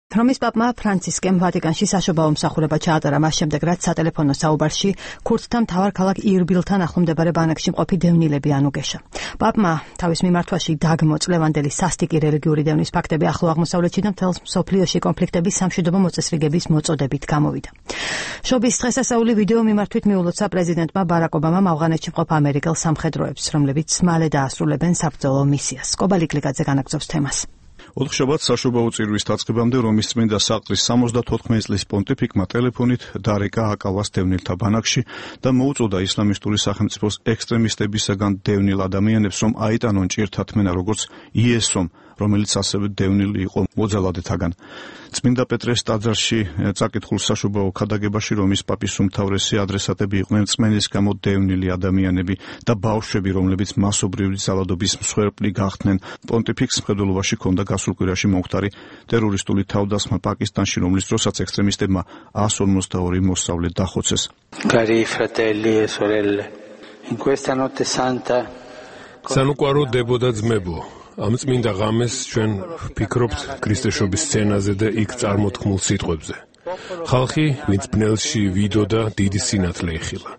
რომის პაპმა ფრანცისკემ ვატიკანში საშობაო მსახურება ჩაატარა მას შემდეგ, რაც სატელეფონო საუბარში ქურთთა მთავარ ქალაქ ირბილთან ახლომდებარე ბანაკში მყოფი დევნილები ანუგეშა. პაპმა თავის მიმართვაში დაგმო წლევანდელი სასტიკი რელიგიური დევნის ფაქტები ახლო აღმოსავლეთში და მთელ მსოფლიოში კონფლიქტების სამშვიდობო მოწესრიგების მოწოდებით გამოვიდა. შობის დღესასწაული ვიდეო მიმართვით მიულოცა პრეზიდენტმა ბარაკ ობამამ ავღანეთში მყოფ ამერიკელ სამხედროებს, რომლებიც მალე დაასრულებენ საბრძოლო მისიას. კობალიკლიgadze განაგრძობს თემას. ოთხშაბათს საშობაო წირვის დაწყებამდე რომის წმინდა საყდრის 74 წლის პონტიფიკმა ტელეფონით დარეკა აკალას დევნილთა ბანაკში და მოუწოდა ისლამისტური სახელმწიფოს ექსტრემისტებისაგან დევნილ ადამიანებს, რომ აიტანონ ჭირთათმენა როგორც იესომ, რომელიც ასევე დევნილი იყო მოძალადეთაგან. წმინდა პეტრეს ტაძარში წაკითხულ საშობაო ქადაგებაში რომის პაპის უმთავრესი ადრესატები იყვნენ რწმენის გამო დევნილი ადამიანები და ბავშვები, რომლებიც მასობრივი ძალადობის მსხვერპლი გახდნენ. პონტიფიკს მხედველობაში ჰქონდა გასულ კვირაში მომხდარი ტერორისტული თავდასხმა პაკისტანში, რომლის დროსაც ექსტრემისტებმა 152 მოსწავლე დახოცეს. Cari fratelli e sorelle, in questa notte santa Sanuquaro დებო და ძმებო, ამ წმინდა ღამეს ჩვენ ვფიქრობთ ქრისტეშობის სცენაზე და იქ წარმოთქმულ სიტყვებზე. ხალხი, ვინც ბნელში ვიდო და დიდი სინათლე იხილა.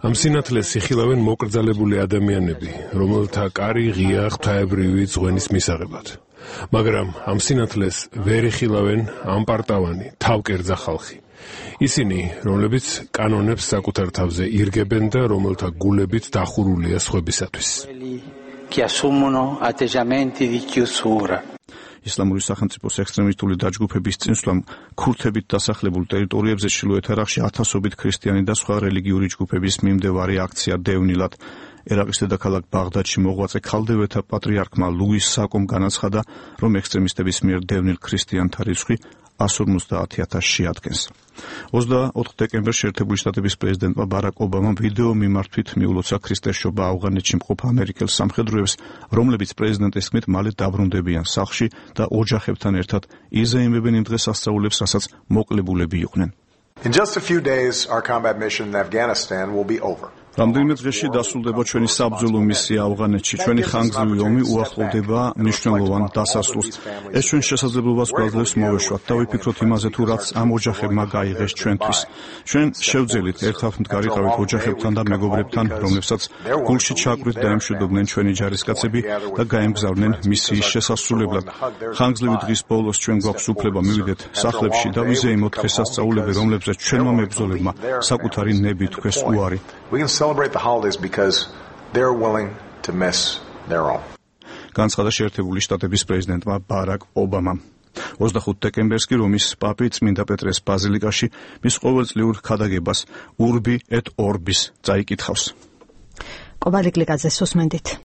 ამ სინათლეს იხილავენ მოკრძალებული ადამიანები, რომელთა კარი ღია ღვთაებრივი ძღვენის მისაღებად. მაგრამ ამ სინათლეს ვერ იხილავენ ამპარტავანი, თავკერძა ხალხი. ისინი, რომლებიც კანონებს საკუთარ თავზე ირგებენ და რომელთა გულებით დახურულია სხვებისათვის. che assumono atteggiamenti di chiusura. ისლამური სახელმწიფოს ექსტრემისტული დაჯგუფების წინსვლამ ქურთებით დასახლებულ ტერიტორიებზე ჩრდილოეთ ერაყში ათასობით ქრისტიანი და სხვა რელიგიური ჯგუფების მიმდევარი აქცია დევნილად. ერაყის დედაქალაქ ბაღდადში მოღვაწე ქალდევეთა პატრიარქმა ლუის საკომ განაცხადა, რომ ექსტრემისტების მიერ დევნილ ქრისტიანთა რიცხვი 150,000-ში ადგენს. 24 დეკემბერს შეერთებული შტატების პრეზიდენტმა ბარაკ ობამამ ვიდეო მიმართვით მიულოცა ქრისტესშობა ავღანეთში მყოფ ამერიკელ სამხედროებს, რომლებიც პრეზიდენტის თქმით მალე დაბრუნდებიან სახლში და ოჯახებთან ერთად იზეიმებენ იმ დღესასწაულებს, რასაც მოკლებულები იყვნენ. In just a few days, our combat mission in Afghanistan will be over. რამდენიმე დღეში დასრულდება ჩვენი საბრძოლო მისია ავღანეთში. ჩვენი ხანგრძლივი ომი უახლოვდება მნიშვნელოვან დასასრულს. ეს ჩვენ შესაძლებლობას გვაძლევს მოვეშვათ და ვიფიქროთ იმაზე, თუ რაც ამ ოჯახებმა გაიღეს ჩვენთვის. ჩვენ შევძელით ერთად მდგარიყავით ოჯახებთან და მეგობრებთან, რომლებსაც გულში ჩაკვდით და ემშვიდობდნენ ჩვენი ჯარისკაცები და გაემგზავრნენ მისიის შესასრულებლად. ხანგრძლივი დღის ბოლოს ჩვენ გვაქვს უფლება მივიდეთ სახლებში და ვიზეიმოთ დღესასწაულები, რომლებზეც ჩვენმა მებრძოლებმა საკუთარი ნები თქვეს უარი. We can celebrate the holidays because they're willing to miss their own. განცხადა შეერთებული შტატების პრეზიდენტმა ბარაკ ობამამ. 25 დეკემბერს კი რომის პაპი წმინდა პეტრეს ბაზილიკაში მის ყოველწლიურ ქადაგებას Urbi et Orbis წაიკითხავს. კობალიკლიgadze სუსმენდით.